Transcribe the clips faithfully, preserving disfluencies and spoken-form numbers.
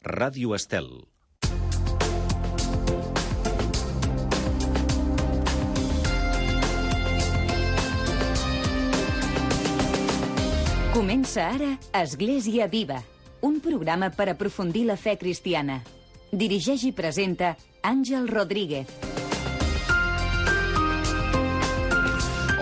Ràdio Estel. Comença ara Església Viva, un programa per aprofundir la fe cristiana. Dirigeix i presenta Àngel Rodríguez.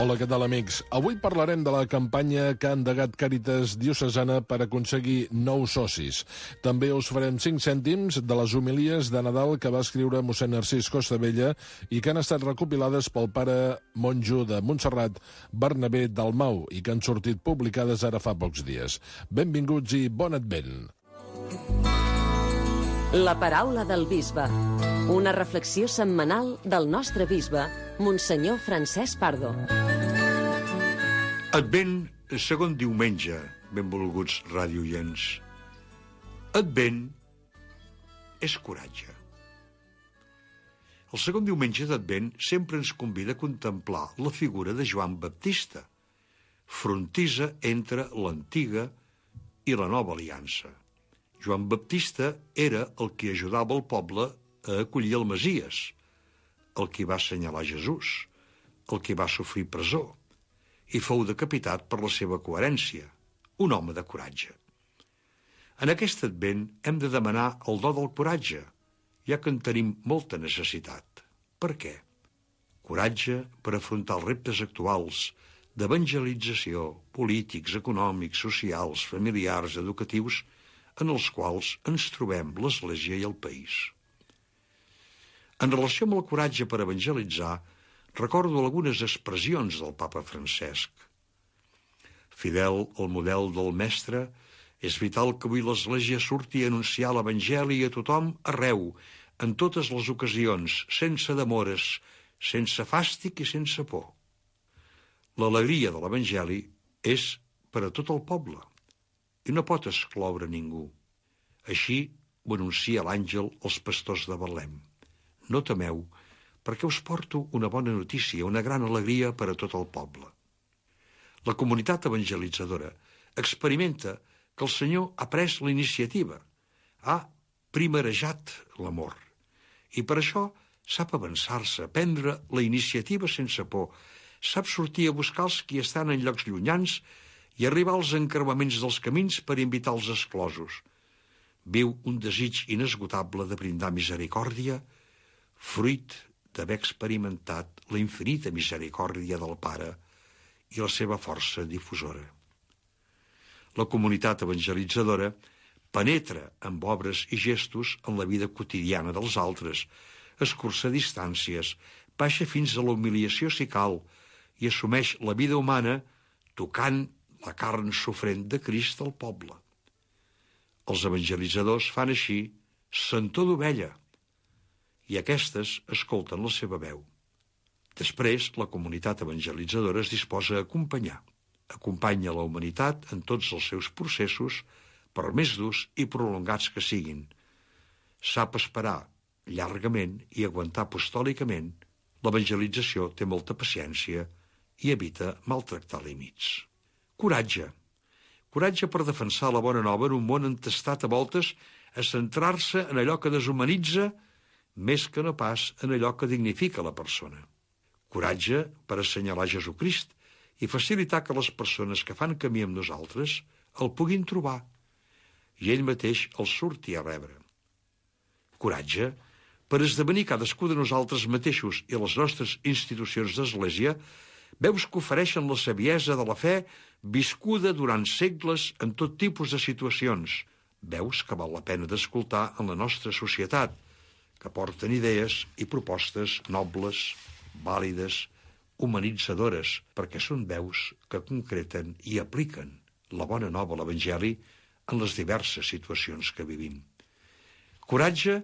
Hola, què tal, amics? Avui parlarem de la campanya que ha endegat Càritas Diocesana per aconseguir nous socis. També us farem cinc cèntims de les homilies de Nadal que va escriure mossèn Narcís Costabella i que han estat recopilades pel pare monjo de Montserrat, Bernabé Dalmau, i que han sortit publicades ara fa pocs dies. Benvinguts i bon advent. La paraula del bisbe. Una reflexió setmanal del nostre bisbe, Monsenyor Francesc Pardo. Advent, segon diumenge, benvolguts radioients. Advent és coratge. El segon diumenge d'Advent sempre ens convida a contemplar la figura de Joan Baptista, frontissa entre l'antiga i la nova aliança. Joan Baptista era el que ajudava el poble a acollir el Messies, el que va assenyalar Jesús, el que va sofrir presó, i fou decapitat per la seva coherència, un home de coratge. En aquest Advent hem de demanar el do del coratge, ja que en tenim molta necessitat. Per què? Coratge per afrontar els reptes actuals d'evangelització, polítics, econòmics, socials, familiars, educatius, en els quals ens trobem l'Església i el país. En relació amb el coratge per evangelitzar, recordo algunes expressions del papa Francesc. Fidel al model del mestre, és vital que avui l'Església surti a anunciar l'Evangeli a tothom arreu, en totes les ocasions, sense demores, sense fàstic i sense por. L'alegria de l'Evangeli és per a tot el poble i no pot excloure ningú. Així ho anuncia l'àngel als pastors de Betlem. No temeu, perquè us porto una bona notícia, una gran alegria per a tot el poble. La comunitat evangelitzadora experimenta que el Senyor ha pres la iniciativa, ha primerejat l'amor, i per això sap avançar-se, prendre la iniciativa sense por, sap sortir a buscar els qui estan en llocs llunyans i arribar als encreuaments dels camins per invitar els exclosos. Viu un desig inesgotable de brindar misericòrdia, fruit d'haver experimentat la infinita misericòrdia del Pare i la seva força difusora. La comunitat evangelitzadora penetra amb obres i gestos en la vida quotidiana dels altres, escurça distàncies, baixa fins a la humiliació si cal i assumeix la vida humana tocant la carn sofrent de Crist al poble. Els evangelitzadors fan així sentor d'ovella, i aquestes escolten la seva veu. Després, la comunitat evangelitzadora es disposa a acompanyar. Acompanya la humanitat en tots els seus processos, per més durs i prolongats que siguin. Sap esperar llargament i aguantar apostòlicament. L'evangelització té molta paciència i evita maltractar límits. Coratge. Coratge per defensar la bona nova en un món entestat a voltes a centrar-se en allò que deshumanitza més que no pas en allò que dignifica la persona. Coratge per assenyalar Jesucrist i facilitar que les persones que fan camí amb nosaltres el puguin trobar i ell mateix el surti a rebre. Coratge per esdevenir cadascú de nosaltres mateixos i les nostres institucions d'Església veus que ofereixen la saviesa de la fe viscuda durant segles en tot tipus de situacions. Veus que val la pena d'escoltar en la nostra societat, que porten idees i propostes nobles, vàlides, humanitzadores, perquè són veus que concreten i apliquen la bona nova, l'Evangeli, en les diverses situacions que vivim. Coratge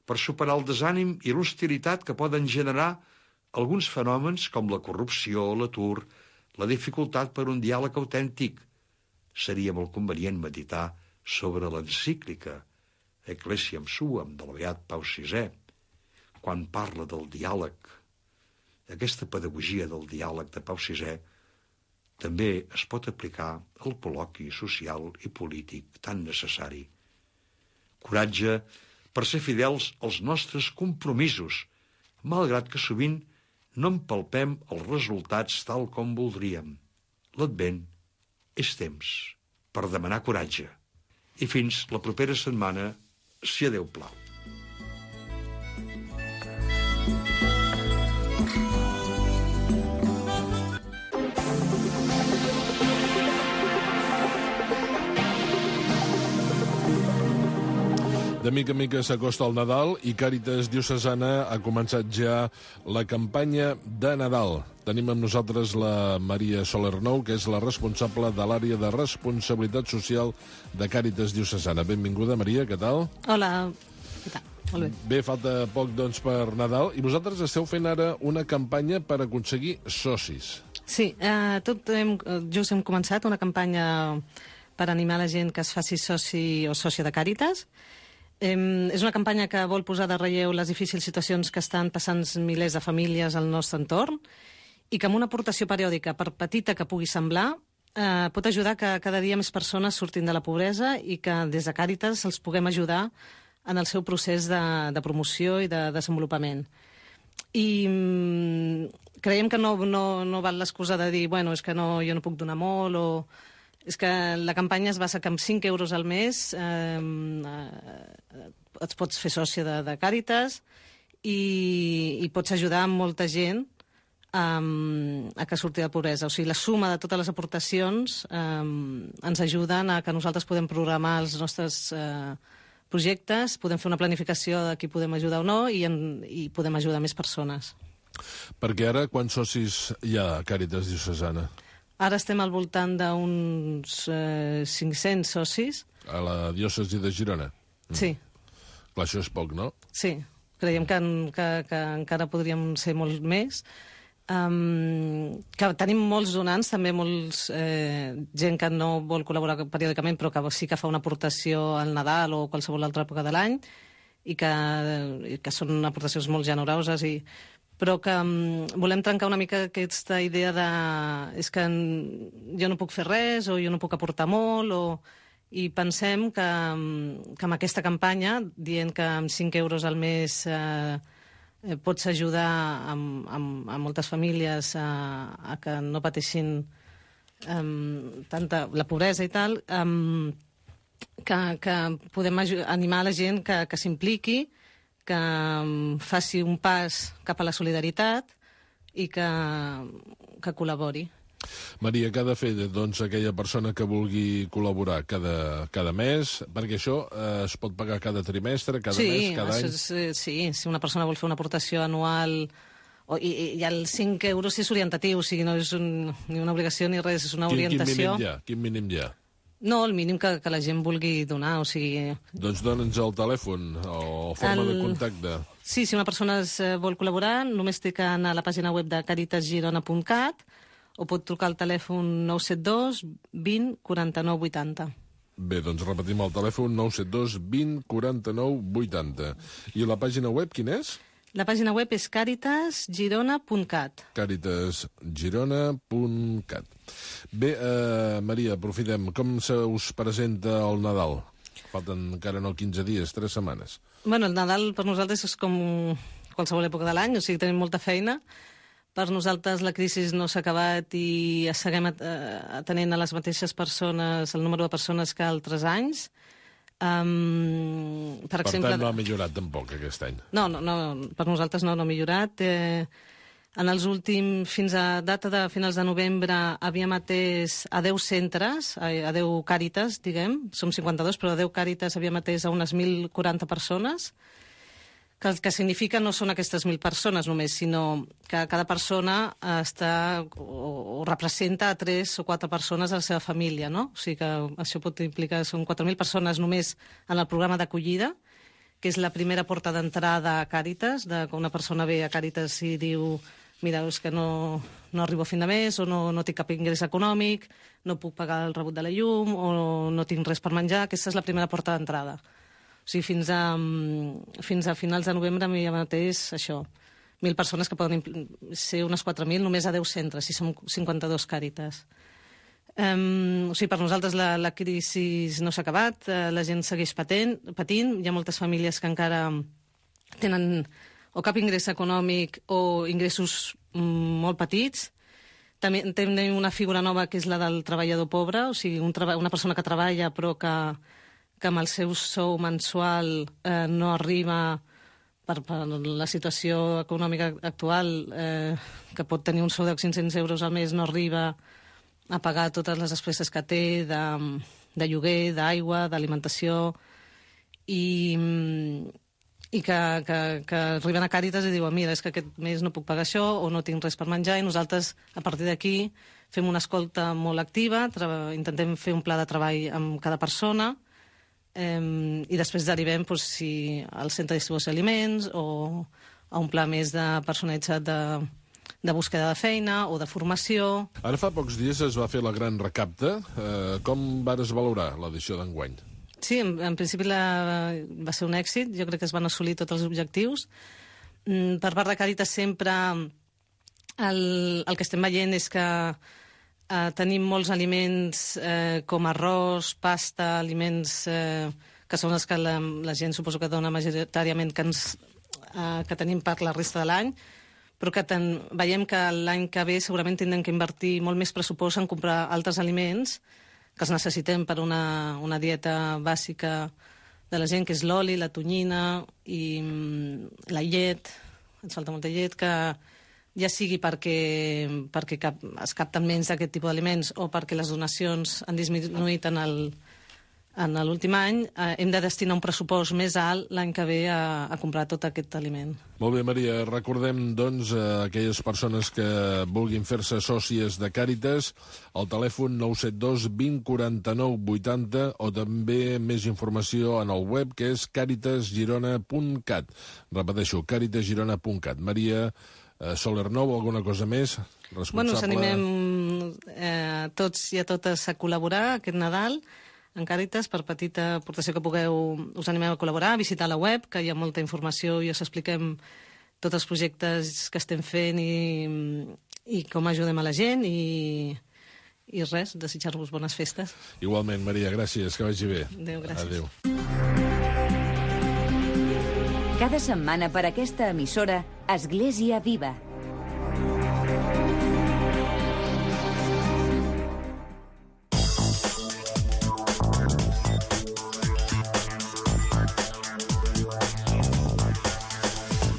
per superar el desànim i l'hostilitat que poden generar alguns fenòmens com la corrupció, l'atur, la dificultat per un diàleg autèntic. Seria molt convenient meditar sobre l'encíclica Ecclesiam Suam del beat Pau sisè, quan parla del diàleg. Aquesta pedagogia del diàleg de Pau sisè també es pot aplicar al col·loqui social i polític tan necessari. coratge per ser fidels als nostres compromisos, malgrat que sovint no empalpem els resultats tal com voldríem. L'Advent és temps per demanar coratge. I fins la propera setmana, si a Déu plau. De mica en mica s'acosta el Nadal i Càritas Diocesana ha començat ja la campanya de Nadal. Tenim amb nosaltres la Maria Soler-Nou, que és la responsable de l'àrea de responsabilitat social de Càritas Diocesana. Benvinguda, Maria, què tal? Hola, què tal? Molt bé. Bé, falta poc, doncs, per Nadal, i vosaltres esteu fent ara una campanya per aconseguir socis. Sí, eh, tot hem, just hem començat una campanya per animar la gent que es faci soci o sòcia de Càritas. Eh, és una campanya que vol posar de relleu les difícils situacions que estan passant milers de famílies al nostre entorn i que amb una aportació periòdica, per petita que pugui semblar, eh, pot ajudar que cada dia més persones surtin de la pobresa i que des de Càritas els puguem ajudar en el seu procés de, de promoció i de desenvolupament. I mm, creiem que no, no, no val l'excusa de dir bueno, és que no, jo no puc donar molt o... És que la campanya es basa que amb cinc euros al mes eh, eh, et pots fer sòcia de, de Càritas i, i pots ajudar molta gent um, a que surti de pobresa. O sigui, la suma de totes les aportacions um, ens ajuden a que nosaltres podem programar els nostres uh, projectes, podem fer una planificació de qui podem ajudar o no i, en, i podem ajudar més persones. Perquè ara, quants socis hi ha a Càritas Diocesana? Ara estem al voltant d'uns eh, cinc-cents socis. A la diòcesi de Girona? Mm. Sí. Clar, això és poc, no? Sí, creiem que, que, que encara podríem ser molt més. Um, que tenim molts donants, també molts eh, gent que no vol col·laborar periòdicament però que sí que fa una aportació al Nadal o qualsevol altra època de l'any i que, i que són aportacions molt generoses i però que um, volem trencar una mica aquesta idea de és que jo no puc fer res o jo no puc aportar molt o, i pensem que, que amb aquesta campanya, dient que amb cinc euros al mes eh, pots ajudar a, a, a moltes famílies a, a que no pateixin um, tanta la pobresa i tal, um, que, que podem animar la gent que, que s'impliqui, que faci un pas cap a la solidaritat i que, que col·labori. Maria, què ha de fer doncs, aquella persona que vulgui col·laborar cada, cada mes? Perquè això eh, es pot pagar cada trimestre, cada sí, mes, cada any? És, sí, si una persona vol fer una aportació anual o, i, i els cinc euros és orientatiu, o sigui, no és un, ni una obligació ni res, és una quin, orientació. Quin mínim hi ha? Quin mínim hi ha? No, el mínim que, que la gent vulgui donar, o sigui... Doncs dona'ns el telèfon o forma el... de contacte. Sí, si una persona es vol col·laborar, només té que anar a la pàgina web de càritas girona punt cat o pot trucar al telèfon nou set dos vint quaranta-nou vuitanta. Bé, doncs repetim el telèfon nou set dos vint quaranta-nou vuitanta. I la pàgina web quina és? La pàgina web és càritas girona punt cat. càritas girona punt cat. Bé, eh, Maria, aprofitem. Com se us presenta el Nadal? Falten encara no quinze dies, tres setmanes. Bueno, el Nadal per nosaltres és com qualsevol època de l'any, o sigui, tenim molta feina. Per nosaltres la crisi no s'ha acabat i seguim atenent a les mateixes persones, el número de persones que altres anys. Um, per, per exemple, tant, no ha millorat tampoc aquest any. No, no, no per nosaltres no, no ha millorat. Eh, en els últims, fins a data de finals de novembre, havíem atès a deu centres, a deu Càritas, diguem, som cinquanta-dos, però a deu Càritas havíem atès a unes mil quaranta persones, que el que significa no són aquestes mil persones només, sinó que cada persona està o, o representa a tres o quatre persones a la seva família, no? O sigui que això pot implicar que són quatre mil persones només en el programa d'acollida, que és la primera porta d'entrada a Càritas, de que una persona ve a Càritas i diu mira, és que no, no arribo a fin de mes, o no, no tinc cap ingrés econòmic, no puc pagar el rebut de la llum, o no tinc res per menjar. Aquesta és la primera porta d'entrada. O sigui, fins a, fins a finals de novembre m'hi ha mateix això, mil persones que poden ser unes quatre mil només a deu centres, si som cinquanta-dos Càritas. Um, o sigui, per nosaltres la, la crisi no s'ha acabat, uh, la gent segueix patent, patint, hi ha moltes famílies que encara tenen o cap ingrés econòmic o ingressos mm, molt petits. També tenim una figura nova que és la del treballador pobre, o sigui, un treba una persona que treballa però que, que amb el seu sou mensual eh, no arriba per, per la situació econòmica actual, eh, que pot tenir un sou de cinc-cents euros al mes, no arriba a pagar totes les despeses que té de, de lloguer, d'aigua, d'alimentació, i, i que, que, que arriben a Càritas i diuen mira, és que aquest mes no puc pagar això o no tinc res per menjar, i nosaltres, a partir d'aquí, fem una escolta molt activa, intentem fer un pla de treball amb cada persona, eh, i després derivem doncs, si al centre de distribució d'aliments o a un pla més de personalitzat de de búsqueda de feina o de formació. Ara fa pocs dies es va fer la gran recapta. Eh, com vares valorar l'edició d'enguany? Sí, en, en principi la, va ser un èxit. Jo crec que es van assolir tots els objectius. Mm, per part de Càritas sempre el, el que estem veient és que eh, tenim molts aliments eh, com arròs, pasta, aliments eh, que són els que la, la gent suposo que dona majoritàriament que, ens, eh, que tenim per la resta de l'any, però que ten, veiem que l'any que ve segurament tindrem que invertir molt més pressupost en comprar altres aliments que els necessitem per una, una dieta bàsica de la gent, que és l'oli, la tonyina i mm, la llet, ens falta molta llet, que ja sigui perquè, perquè cap, es capten menys d'aquest tipus d'aliments o perquè les donacions han disminuït en el en l'últim any, eh, hem de destinar un pressupost més alt l'any que ve a, a comprar tot aquest aliment. Molt bé, Maria. Recordem, doncs, a aquelles persones que vulguin fer-se sòcies de Càritas, el telèfon nou set dos vint quaranta-nou vuitanta o també més informació en el web, que és càritas girona punt cat. Repeteixo, càritas girona punt cat. Maria eh, Soler Nou, alguna cosa més? Responsable... Bueno, us animem eh, tots i a totes a col·laborar aquest Nadal en Càritas, per petita aportació que pugueu, us animem a col·laborar, a visitar la web, que hi ha molta informació i us expliquem tots els projectes que estem fent i, i com ajudem a la gent i, i res, desitjar-vos bones festes. Igualment, Maria, gràcies, que vagi bé. Adéu, gràcies. Adéu. Cada setmana per aquesta emissora, Església Viva.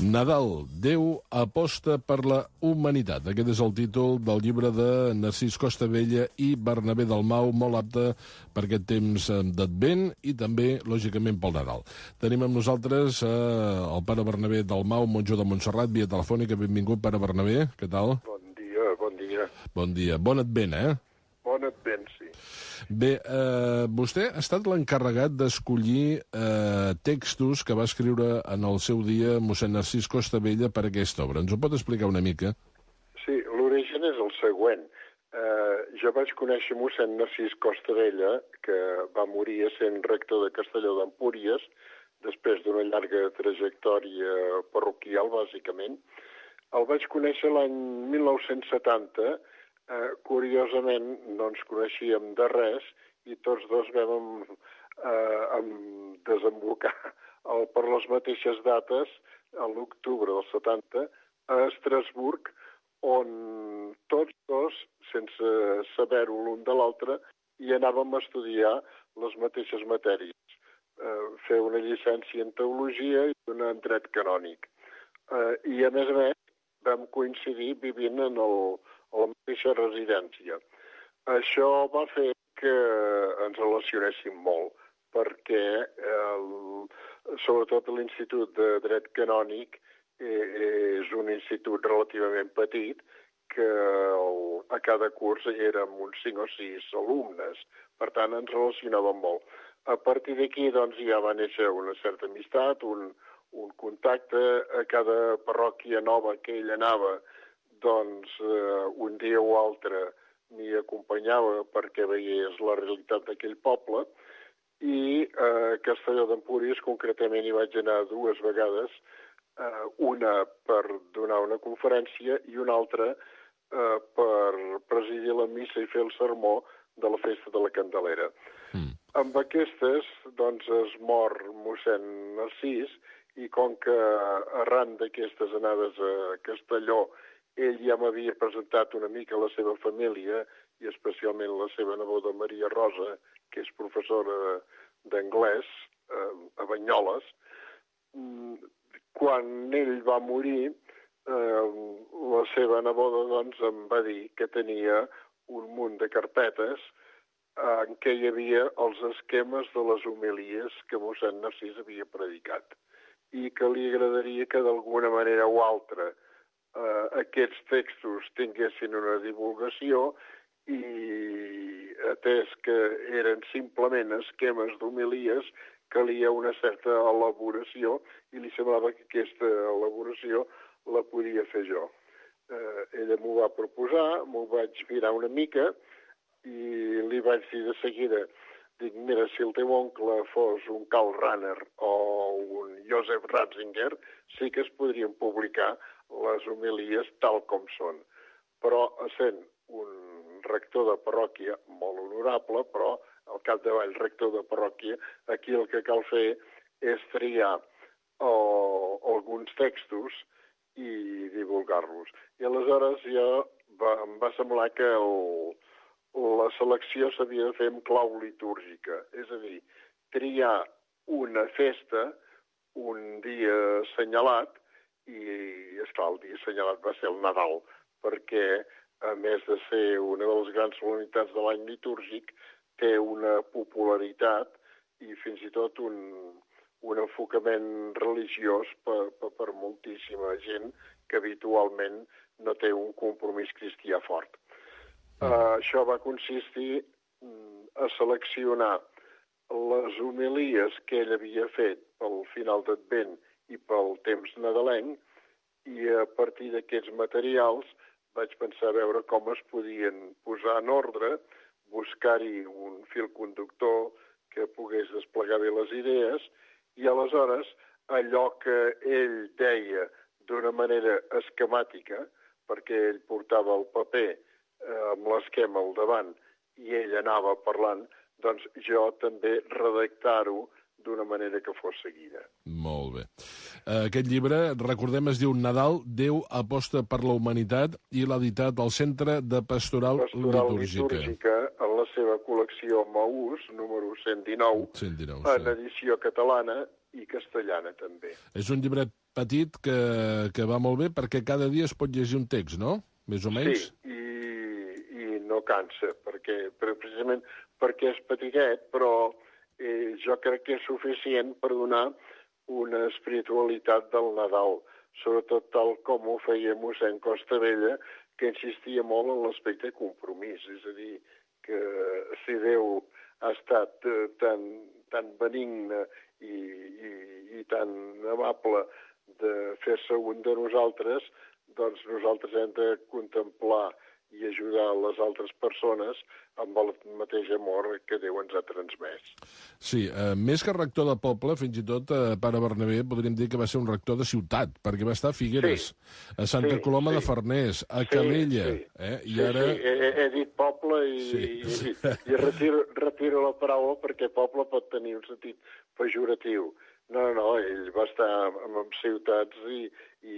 Nadal, Déu aposta per la humanitat. Aquest és el títol del llibre de Narcís Costabella i Bernabé Dalmau, molt apte per aquest temps d'Advent i també, lògicament, pel Nadal. Tenim amb nosaltres eh, el pare Bernabé Dalmau, monjo de Montserrat, via telefònica. Benvingut, pare Bernabé. Què tal? Bon dia, bon dia. Bon dia. Bon Advent, eh? Bon Advent, sí. Bé, eh, vostè ha estat l'encarregat d'escollir eh, textos que va escriure en el seu dia mossèn Narcís Costabella per a aquesta obra. Ens ho pot explicar una mica? Sí, l'origen és el següent. Eh, jo vaig conèixer mossèn Narcís Costabella, que va morir sent rector de Castelló d'Empúries, després d'una llarga trajectòria parroquial, bàsicament. El vaig conèixer l'any mil nou-cents setanta. Eh, curiosament, no ens coneixíem de res i tots dos vam eh, desembocar el, per les mateixes dates, a l'octubre del setanta, a Estrasburg, on tots dos, sense saber-ho l'un de l'altre, hi anàvem a estudiar les mateixes matèries. Eh, fer una llicència en teologia i una en dret canònic. Eh, I, a més a més, vam coincidir vivint en el a la mateixa residència. Això va fer que ens relacionéssim molt, perquè el, sobretot l'Institut de Dret Canònic eh, és un institut relativament petit, que el, a cada curs érem uns cinc o sis alumnes, per tant ens relacionàvem molt. A partir d'aquí doncs, ja va néixer una certa amistat, un, un contacte a cada parròquia nova que ell anava, doncs eh, un dia o altre m'hi acompanyava perquè veiés la realitat d'aquell poble i a eh, Castelló d'Empúries concretament hi vaig anar dues vegades, eh, una per donar una conferència i una altra eh, per presidir la missa i fer el sermó de la festa de la Candelera. Mm. Amb aquestes, doncs, es mor mossèn Narcís, i com que arran d'aquestes anades a Castelló ell ja m'havia presentat una mica la seva família, i especialment la seva neboda Maria Rosa, que és professora d'anglès eh, a Banyoles. Quan ell va morir, eh, la seva neboda doncs, em va dir que tenia un munt de carpetes en què hi havia els esquemes de les homilies que mossèn Narcís havia predicat i que li agradaria que d'alguna manera o altra eh, aquests textos tinguessin una divulgació, i atès que eren simplement esquemes d'homilies, calia una certa elaboració i li semblava que aquesta elaboració la podia fer jo. Eh, ella m'ho va proposar, m'ho vaig mirar una mica i li vaig dir de seguida, dic, mira, si el teu oncle fos un Karl Rahner o un Joseph Ratzinger, sí que es podrien publicar les homilies tal com són. Però, essent un rector de parròquia molt honorable, però al capdavall rector de parròquia, aquí el que cal fer és triar oh, alguns textos i divulgar-los. I aleshores ja va, em va semblar que el, la selecció s'havia de fer amb clau litúrgica, és a dir, triar una festa, un dia assenyalat, i, esclar, el dia assenyalat va ser el Nadal, perquè, a més de ser una de les grans solemnitats de l'any litúrgic, té una popularitat i fins i tot un, un enfocament religiós per, per, per moltíssima gent que habitualment no té un compromís cristià fort. Uh, això va consistir a seleccionar les homilies que ell havia fet pel final d'Advent i pel temps nadalenc, i a partir d'aquests materials vaig pensar a veure com es podien posar en ordre, buscar-hi un fil conductor que pogués desplegar bé les idees, i aleshores allò que ell deia d'una manera esquemàtica, perquè ell portava el paper eh, amb l'esquema al davant i ell anava parlant, doncs jo també redactar-ho d'una manera que fos seguida. Molt bé. Aquest llibre, recordem, es diu Nadal, Déu aposta per la humanitat, i l'ha editat al Centre de Pastoral, Pastoral Litúrgica. Litúrgica, en la seva col·lecció Maús, número cent dinou, cent dinou, en sí. edició catalana i castellana també. És un llibret petit que, que va molt bé perquè cada dia es pot llegir un text, no? Més o menys? Sí, i, i no cansa, perquè, precisament perquè és petitet, però eh, jo crec que és suficient per donar una espiritualitat del Nadal, sobretot tal com ho feia mossèn Costabella, que insistia molt en l'aspecte compromís, és a dir, que si Déu ha estat eh, tan, tan benigne i, i, i tan amable de fer-se un de nosaltres, doncs nosaltres hem de contemplar i ajudar les altres persones amb el mateix amor que Déu ens ha transmès. Sí, eh, més que rector de poble, fins i tot, eh, pare Bernabé, podríem dir que va ser un rector de ciutat, perquè va estar a Figueres, sí, a Santa sí, Coloma sí. de Farners, a sí, Calella, sí. Eh? I sí, ara... sí, he, he dit poble i, sí. i, i retiro, retiro la paraula perquè poble pot tenir un sentit pejoratiu. No, no, ell va estar en, en ciutats i, i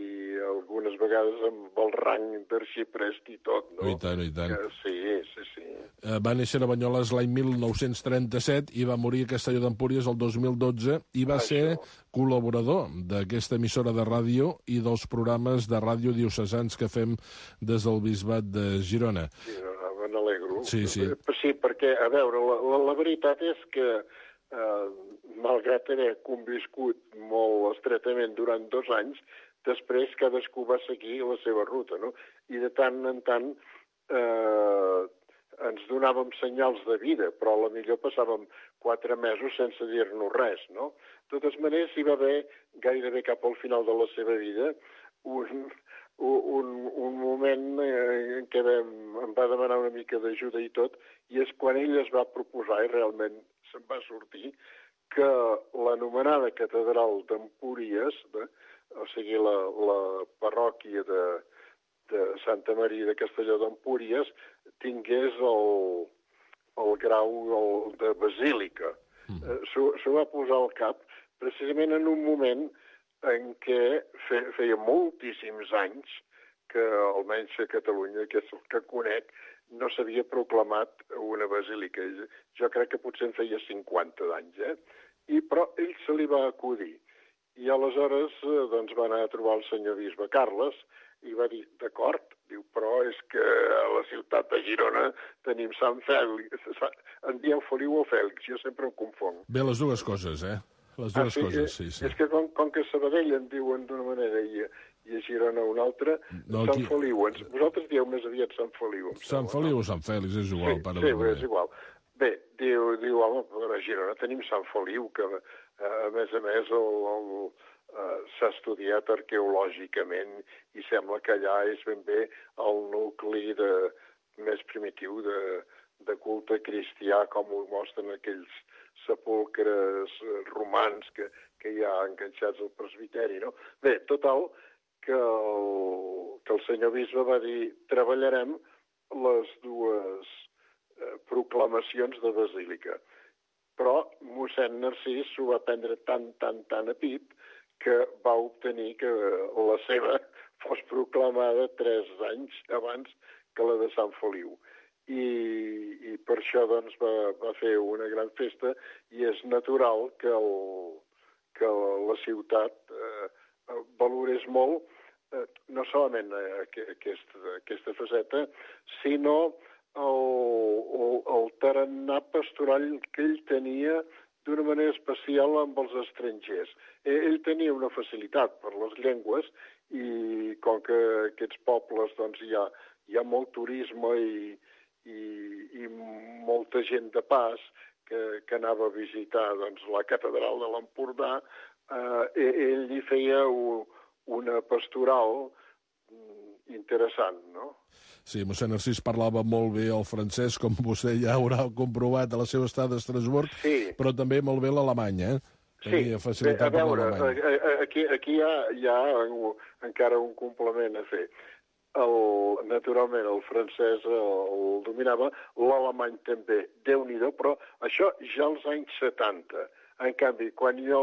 algunes vegades amb el rang d'arxiprest i tot, no? I tant, i tant. Que, sí, sí, sí. Eh, va néixer a Banyoles l'any mil nou-cents trenta-set i va morir a Castelló d'Empúries el dos mil dotze i va Això. ser col·laborador d'aquesta emissora de ràdio i dels programes de ràdio diocesans que fem des del Bisbat de Girona. Girona, me n'alegro. Sí, sí. Sí, perquè, a veure, la, la, la veritat és que eh, malgrat haver conviscut molt estretament durant dos anys, després cadascú va seguir la seva ruta, no? I de tant en tant eh, ens donàvem senyals de vida, però a la millor passàvem quatre mesos sense dir-nos res, no? De totes maneres, hi va haver, gairebé cap al final de la seva vida, un, un, un moment en què vam, em va demanar una mica d'ajuda i tot, i és quan ell es va proposar, i realment se'n va sortir, que l'anomenada catedral d'Empúries, de, o sigui, la, la parròquia de, de Santa Maria de Castelló d'Empúries, tingués el, el grau el, de basílica. Mm. Eh, S'ho va posar al cap precisament en un moment en què fe, feia moltíssims anys que, almenys a Catalunya, que és el que conec, no s'havia proclamat una basílica. Jo crec que potser en feia cinquanta d'anys, eh? I, però ell se li va acudir. I aleshores doncs, va anar a trobar el senyor bisbe Carles i va dir, d'acord, diu, però és que a la ciutat de Girona tenim Sant Fèlix. En dieu Feliu o Fèlix, jo sempre em confonc. Bé, les dues coses, eh? Les dues ah, sí? coses, sí, sí. És que com, com que a Sabadell en diuen d'una manera i, i a Girona una altra, no, Sant aquí... Feliu. Vosaltres dieu més aviat Sant Feliu. Sant sembla, Feliu no? O Sant Fèlix, és igual. Sí, pare sí és igual. Bé, diu, diu home, a Girona tenim Sant Feliu, que a més a més el, el, uh, s'ha estudiat arqueològicament i sembla que allà és ben bé el nucli de, més primitiu de, de culte cristià, com ho mostren aquells sepulcres romans que, que hi ha enganxats al presbiteri, no? Bé, total, que el, que el senyor bisbe va dir treballarem les dues eh, proclamacions de basílica. Però mossèn Narcís s'ho va prendre tan, tan, tan a pit que va obtenir que la seva fos proclamada tres anys abans que la de Sant Feliu. I, i per això doncs, va, va fer una gran festa i és natural que, el, que la ciutat eh, valorés molt eh, no solament aquesta, aquesta faceta, sinó el, el, el tarannà pastoral que ell tenia d'una manera especial amb els estrangers. Ell tenia una facilitat per les llengües i com que aquests pobles doncs, hi ha, hi ha molt turisme i, i, i molta gent de pas que, que anava a visitar doncs, la catedral de l'Empordà, eh, ell hi feia un, una pastoral interessant, no? Sí, mossèn Narcís parlava molt bé el francès, com vostè ja haurà comprovat a la seva estada a Estrasburg, sí. Però també molt bé l'alemany, eh? Tenia sí, facilitat bé, a veure, aquí, aquí hi ha, hi ha encara un complement a fer. El, naturalment, el francès el, el dominava, l'alemany també, Déu-n'hi-do, però això ja als anys setanta. En canvi, quan jo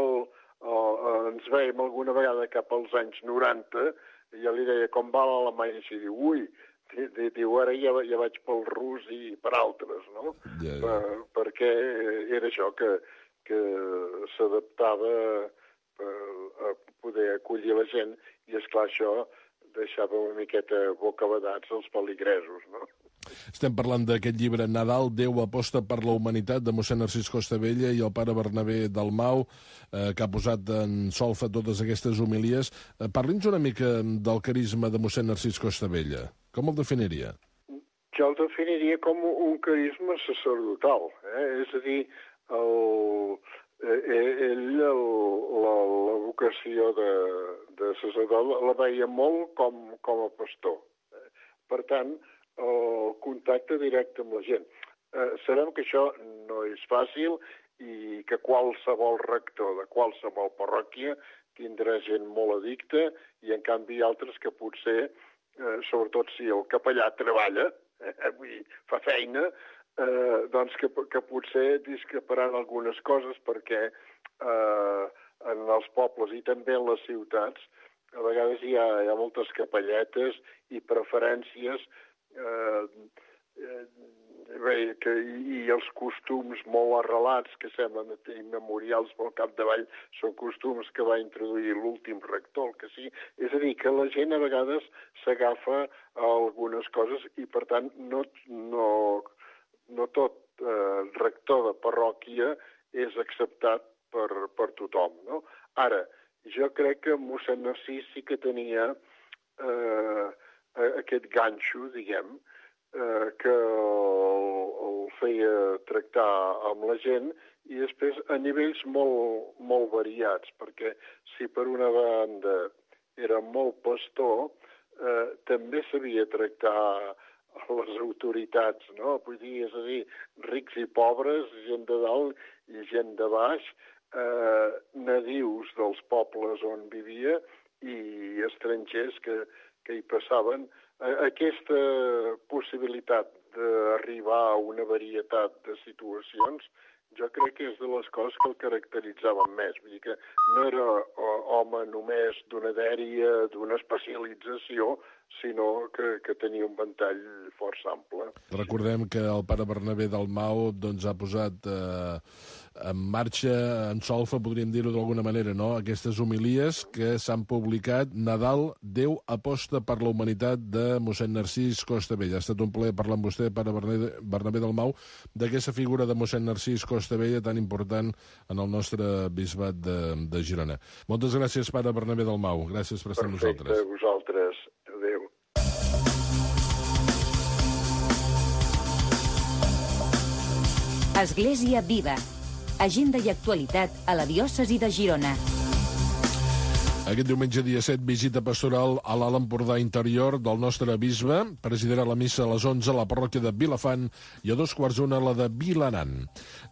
el, ens veiem alguna vegada cap als anys noranta, jo li deia com va l'alemany, i diu, ui, diu, ara ja, ja vaig pel rus i per altres, no? Ja, ja. Per, perquè era això, que, que s'adaptava a poder acollir la gent, i esclar, això deixava una miqueta bocabadats els peligresos, no? Estem parlant d'aquest llibre Nadal, Déu aposta per la humanitat, de mossèn Narcís Costabella i el pare Bernabé Dalmau, eh, que ha posat en solfa totes aquestes homilies. Eh, Parli'ns una mica del carisma de mossèn Narcís Costabella. Com el definiria? Jo el definiria com un carisma sacerdotal, eh? És a dir, el, ell el, la, la vocació de, de sacerdot la veia molt com, com a pastor. Per tant, el contacte directe amb la gent. Eh, sabem que això no és fàcil i que qualsevol rector de qualsevol parròquia tindrà gent molt addicta i, en canvi, altres que potser, eh, sobretot si el capellà treballa, eh, vull dir, fa feina, eh, doncs que, que potser discreparan algunes coses perquè eh, en els pobles i també en les ciutats a vegades hi ha, hi ha moltes capelletes i preferències Eh, eh, bé, que, i els costums molt arrelats que semblen immemorials pel capdavall són costums que va introduir l'últim rector, que sí. És a dir, que la gent a vegades s'agafa a algunes coses i, per tant, no, no, no tot eh, rector de parròquia és acceptat per, per tothom, no? Ara, jo crec que mossèn Narcís sí que tenia eh, aquest ganxo, diguem, eh, que el, el feia tractar amb la gent i després a nivells molt, molt variats, perquè si per una banda era molt pastor, eh, també sabia tractar les autoritats, no? Vull dir, és a dir, rics i pobres, gent de dalt i gent de baix, eh, nadius dels pobles on vivia i estrangers que que hi passaven. Aquesta possibilitat d'arribar a una varietat de situacions, jo crec que és de les coses que el caracteritzaven més. Vull dir que no era home només d'una dèria, d'una especialització, sinó que, que tenia un ventall força ample. Recordem que el pare Bernabé Dalmau doncs, ha posat eh, en marxa, en solfa, podríem dir-ho d'alguna manera, no? Aquestes homilies que s'han publicat. Nadal, Déu aposta per la humanitat, de mossèn Narcís Costabella. Ha estat un plaer parlar amb vostè, pare Bernabé Dalmau, d'aquesta figura de mossèn Narcís Costabella tan important en el nostre bisbat de, de Girona. Moltes gràcies, pare Bernabé Dalmau. Gràcies per estar amb nosaltres. Perfecte, vosaltres. Adéu. Església Viva. Agenda i actualitat a la diòcesi de Girona. Aquest diumenge, dia set, visita pastoral a l'Alt Empordà Interior del nostre bisbe. Presidirà la missa a les onze a la parròquia de Vilafant i a dos quarts d'una a la de Vilanant.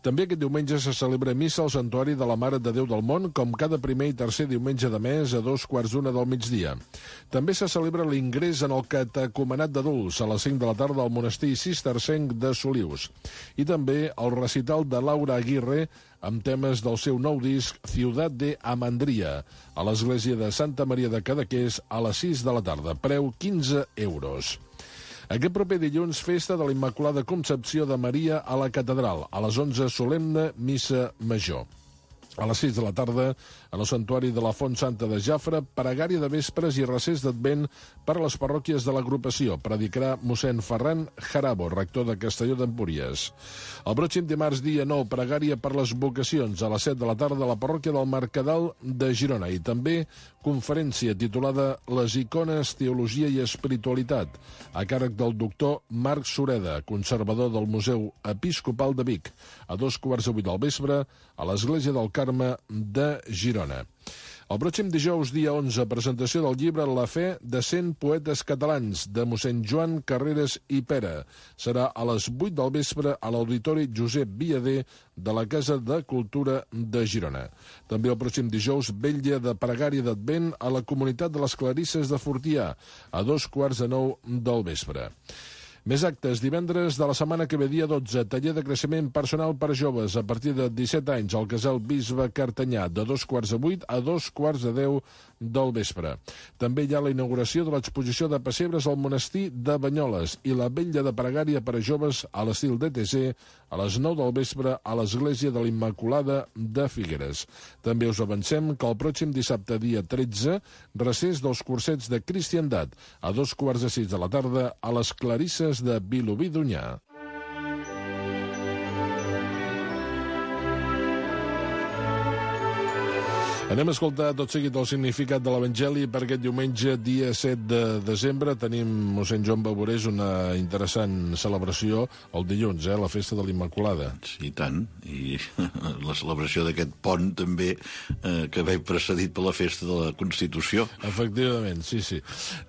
També aquest diumenge se celebra missa al Santuari de la Mare de Déu del Món, com cada primer i tercer diumenge de mes a dos quarts d'una del migdia. També se celebra l'ingrés en el catecumenat d'adults a les cinc de la tarda al monestir cistercenc de Solius. I també el recital de Laura Aguirre amb temes del seu nou disc Ciutat de Amandria, a l'església de Santa Maria de Cadaqués a les sis de la tarda. Preu quinze euros. Aquest proper dilluns, festa de la Immaculada Concepció de Maria a la Catedral. A les onze, solemne missa major. A les sis de la tarda, en el santuari de la Font Santa de Jafre, pregària de vespres i recés d'Advent per a les parròquies de l'agrupació. Predicarà mossèn Ferran Jarabo, rector de Castelló d'Empúries. El pròxim dimarts, dia nou, pregària per les vocacions a les set de la tarda a la parròquia del Mercadal de Girona. I també conferència titulada Les icones, teologia i espiritualitat, a càrrec del doctor Marc Sureda, conservador del Museu Episcopal de Vic, a dos quarts de vuit del vespre, a l'església del Carme de Girona. El pròxim dijous, dia onze, presentació del llibre La fe de cent poetes catalans, de mossèn Joan Carreras i Pera. Serà a les vuit del vespre a l'Auditori Josep Viader de la Casa de Cultura de Girona. També el pròxim dijous, vetlla de pregària d'Advent a la comunitat de les Clarisses de Fortià, a dos quarts de nou del vespre. Més actes. Divendres de la setmana que ve, dia dotze, taller de creixement personal per joves a partir de disset anys al Casal Bisbe Cartanyà, de dos quarts de vuit a dos quarts de deu del vespre. També hi ha la inauguració de l'exposició de pessebres al monestir de Banyoles i la vetlla de pregària per a joves a l'estil D T C a les nou del vespre a l'església de l'Immaculada de Figueres. També us avancem que el pròxim dissabte, dia tretze, recés dels cursets de cristiandat a dos quarts de sis de la tarda a les Clarisses de Vilobí d'Onyar. Anem a escoltar tot seguit el significat de l'Evangeli per aquest diumenge, dia set de desembre. Tenim mossèn Joan Baborés, una interessant celebració el dilluns, eh, la festa de l'Immaculada. Sí, tant. I la celebració d'aquest pont també, eh, que ve precedit per la festa de la Constitució. Efectivament, sí, sí.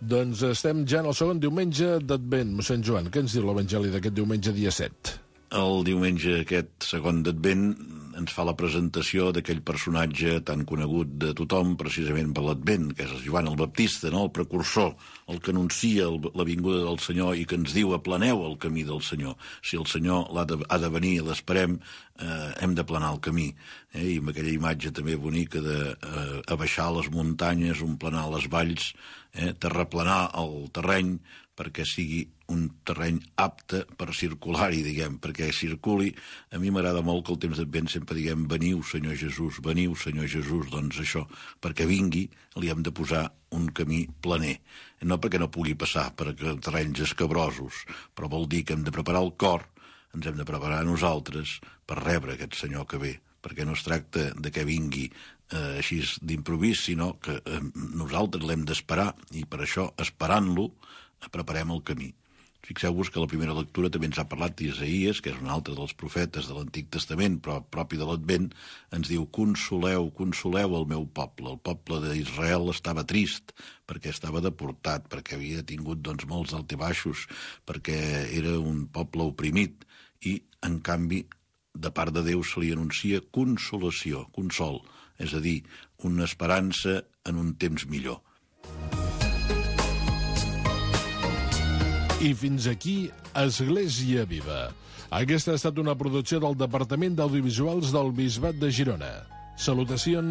Doncs estem ja en el segon diumenge d'Advent. Mossèn Joan, què ens diu l'Evangeli d'aquest diumenge, dia set? El diumenge aquest segon d'Advent ens fa la presentació d'aquell personatge tan conegut de tothom precisament per l'Advent, que és Joan el Baptista, no? El precursor, el que anuncia la vinguda del Senyor i que ens diu aplaneu el camí del Senyor. Si el Senyor ha de, ha de venir i l'esperem, eh, hem d'aplanar el camí. Eh? I amb aquella imatge també bonica de eh, abaixar les muntanyes, omplanar les valls, eh? terraplanar el terreny, perquè sigui un terreny apte per circular-hi, diguem, perquè circuli. A mi m'agrada molt que el temps d'Advent sempre diguem veniu, Senyor Jesús, veniu, Senyor Jesús, doncs això, perquè vingui li hem de posar un camí planer. No perquè no pugui passar per terrenys escabrosos, però vol dir que hem de preparar el cor, ens hem de preparar nosaltres per rebre aquest Senyor que ve, perquè no es tracta de que vingui eh, així d'improvís, sinó que eh, nosaltres l'hem d'esperar, i per això, esperant-lo, preparem el camí. Fixeu-vos que la primera lectura també ens ha parlat d'Isaïes, que és un altre dels profetes de l'Antic Testament, però propi de l'Advent, ens diu, consoleu, consoleu el meu poble. El poble d'Israel estava trist, perquè estava deportat, perquè havia tingut doncs, molts altibaixos, perquè era un poble oprimit, i, en canvi, de part de Déu se li anuncia consolació, consol, és a dir, una esperança en un temps millor. I fins aquí Església Viva. Aquesta ha estat una producció del Departament d'Audiovisuals del Bisbat de Girona. Salutacions